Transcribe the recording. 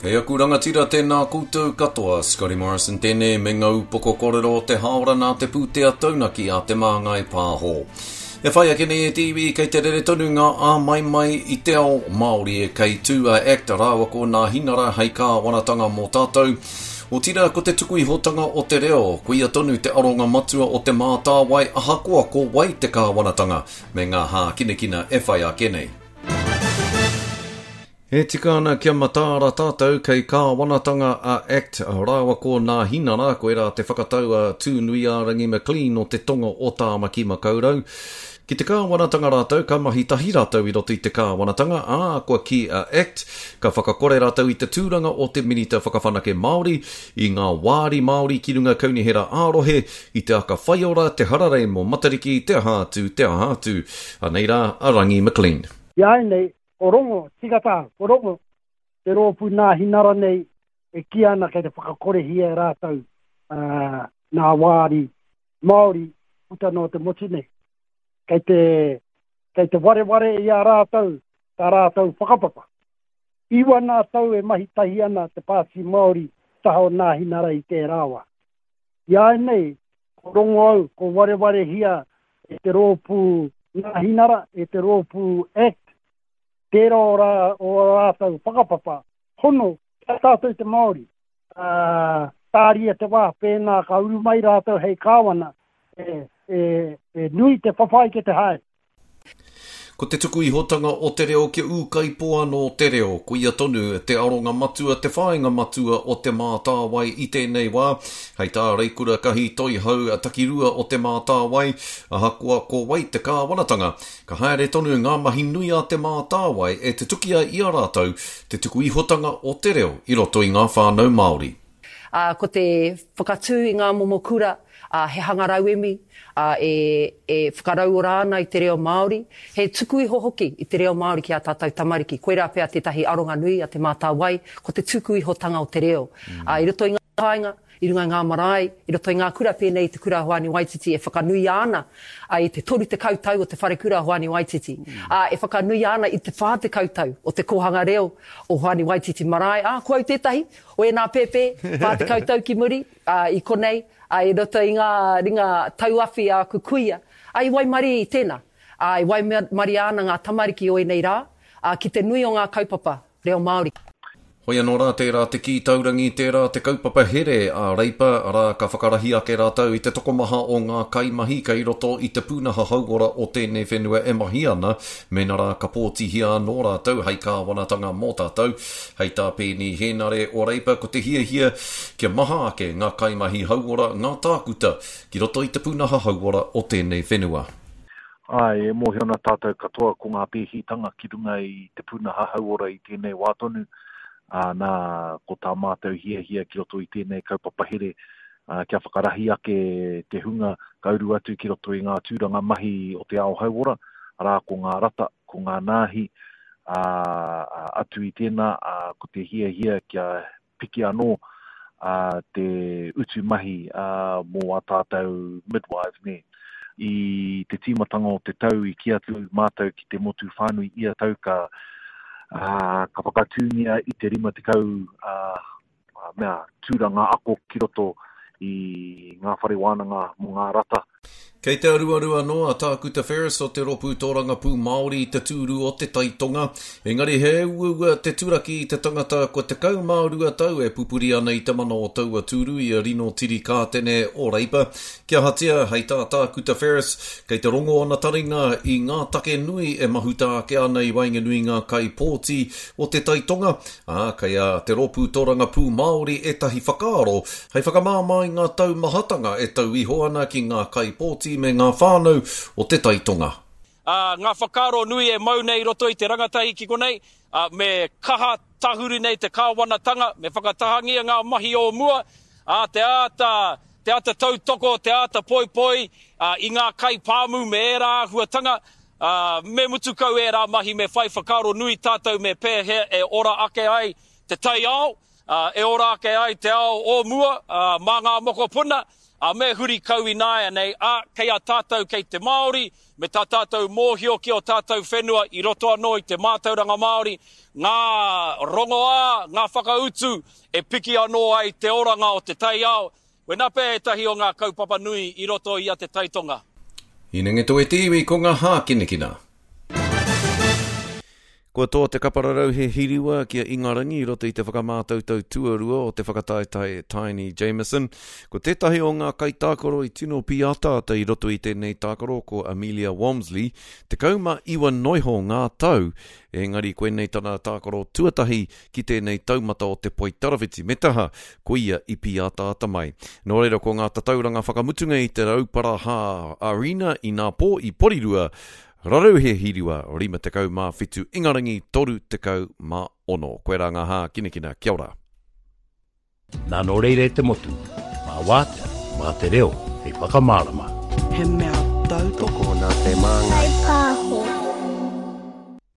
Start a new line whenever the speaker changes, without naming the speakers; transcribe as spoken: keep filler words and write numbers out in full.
E aku rangatira tēnā koutou katoa, Scotty Morrison tēnei me ngā upoko kōrero o te haora nā te pūtea taunaki a Te Māngai Pāho. E whai ake nei e te iwi kei te rere tonu ngā āmaimai i te ao Māori e kei tū a ACT rāua ko Nāhinara hei kāwanatanga mō tātou. Otirā ko te tuku ihotanga o te reo, koia tonu te aronga matua o Te Mātāwai ahakoa ko wai te kāwanatanga me ngā hākinakina e whai ake nei. E tika ana kia mataara tātou kei kāwanatanga a ACT rāua ko Nāhinara, koirā te whakatau a Tūnuiārangi McLean o te tonga o Tāmaki Makaurau. Ki te kāwanatanga rātou, ka mahi tahi rātou i roto i te kāwanatanga, ā, kua kī a ACT, ka whakakore rātou i te tūranga o te Minita Whakawhanake Māori, i ngā wāri Māori ki runga kaunihera ā-rohe, i te aka whaiora, te hararei mō Matariki, te aha atu, te aha atu. Anei rā a Rangi McLean.
Iāianei, ko Rongo, tika tā, ko Rongo, te rōpū Nāhinara nei e kī ana kei te whakakorehia e rātou uh, nā wāri Māori puta noa te motu nei. Kei te, kei te wareware i a rātou tā rātou whakapapa. Iwa nā tau e mahi tahi ana te Pāti Māori taha o Nāhinara i tērā wā. Iāianei, ko Rongo au, ko warewarehia e te rōpū Nāhinara, e te rōpū ACT, tērā o, rā, o rātou whakapapa, hono ki a tātou te Māori. Uh, tāria te wā, pēnā ka uru mai rātou hei kāwana, e, e, e nui te whawhai ke te haere.
Ko te tuku ihotanga o te reo kia ūkaipō anō te reo, koia tonu te aronga matua, te whāinga matua o Te Mātāwai i tēnei wā. Hei tā Reikura Kahi Toihau Takirua o Te Mātāwai, ahakoa ko wai te kāwanatanga, ka haere tonu ngā mahi nui a Te Mātāwai e tutuki ai i a rātou te tuku ihotanga o te reo i roto i ngā whānau Māori.
Uh, ko te whakatū i ngā momo kura, uh, he hanga rauemi, uh, e, e whakarauora ana i te reo Māori, he tuku iho hoki i te reo Māori ki a tātou tamariki. Koirā pea tētahi aronga nui a Te Mātāwai, ko te tuku ihotanga o te reo. Mm. Uh, i roto i ngā kāinga, i runga i ngā marae, i roto i ngā kura pēnei i te kura Hoani Waititi e whakanuia ana uh, i te toru tekau tau o te wharekura Hoani Waititi. Mm. Uh, e whakanuia ana i te whā tekau tau o te kōhanga reo o Hoani Waititi marae. Ah, ko au tētahi o ēnā pēpē, whā tekau tau ki muri, uh, i konei, uh, i roto i ngā ringa tauawhi a aku kuia. Uh, i waimarie i tēnā. Uh, i waimarie ana ngā tamariki o ēnei rā, uh, ki te nui o ngā kaupapa reo Māori.
Hoi anō rā tērā te kī taurangi, tērā te kaupapa here a Reipa, arā ka whakarahi ake rātou i te tokomaha o ngā kaimahi kei roto i te pūnaha hauora o tēnei whenua e mahi ana, mēnā rā ka pōtihia anō rātou hei kāwanatanga mō tātou. Hei tā Peeni Hēnare o Reipa, ko te hiahia kia maha ake ngā kaimahi hauora, ngā tākuta ki roto i te pūnaha hauora o tēnei whenua.
Ai, e mōhio ana tātou katoa ko ngā pēhitanga ki runga i te pūnaha hauora i tēnei wā tonu. Uh, nā, ko tā mātou hiahia ki roto i tēnei kaupapa here, uh, kia whakarahi ake te hunga ka uru atu ki roto i ngā tūranga mahi o te ao hauora, arā ko ngā rata, ko ngā nāhi, uh, atu i tēnā, uh, ko te hiahia kia piki anō uh, te utu mahi uh, mō a tātou midwives, nē. I te tīmatanga o te tau i kī atu mātou ki te motu whānui ia tau ka Uh, ka whakatūngia i te rima tekau uh, mea tūranga ako ki roto i ngā whare wānanga mō ngā rata.
Kei te aruaru anō a Tākuta Ferris o te Rōpū Tōrangapū Māori i te tūru o te Taitonga, engari he uaua te turaki i te tangata kua tekau mā rua tau e pupuri ana i te mana o taua tūru i a Rino Tiri Kātene o Reipa. Kia ahatia, hei tā Tākuta Ferris, kei te rongo ana taringa i ngā take nui e mahuta ake ana i waenganui ngā kaipōti o te Taitonga, ā, kei a te Rōpū Tōrangapū Māori ētahi whakaaro hei whakamāmā i ngā taumahatanga e tau iho ana ki ngā kaipōti me ngā whānau o te Taitonga.
Uh, ngā whakaaro nui e mau nei i roto i te rangatahi ki konei, uh, me kaha tahuri nei te kāwanatanga, me whakatahangia ngā mahi o mua, uh, te āta, te āta tautoko, te āta poipoi, uh, i ngā kaipāmu me ērā āhuatanga, uh, me mutu kau ērā mahi, me whai whakaaro nui tātou me pēhea e ora ake ai te taiao, uh, e ora ake ai te ao o mua, uh, mā ngā mokopuna, Ā, me huri kau ināianei, ā, kei a tātou kei te Māori, me tā tātou mōhio ki ō tātou whenua i roto anō i te mātauranga Māori, ngā rongoā, ngā whakautu e piki anō ai te oranga o te taiao. Koinā pea ētahi o ngā kaupapa nui i roto i a Te Tai Tonga.
Hinengetoe te iwi ko ngā hākinakina. Kua toa te kapararauhe hiriwa ki a Ingarangi i roto i te whakamātautau tuarua o te whakataetae Taini Jamison. Ko tētahi o ngā kaitākaro i tino pīataata i roto i tēnei tākaro ko Amelia Walmsley, tekau mā iwa noiho ngā tau, engari koinei tana tākaro tuatahi ki tēnei taumata o te poitarawhiti, me te aha, ko ia i pīataata mai. Nō reira ko ngā tatauranga whakamutunga i te Rauparaha Arena inapō i Porirua, Rarauhe Hiriwa, rima tekau mā whitu, Ingarangi, toru tekau mā ono. Koirā ngā hākinakina. Kia ora.
Nā nō reira e te motu, mā wātea, mā te reo hei whakamārama.
He mea tautoko.
Tokona te māngai.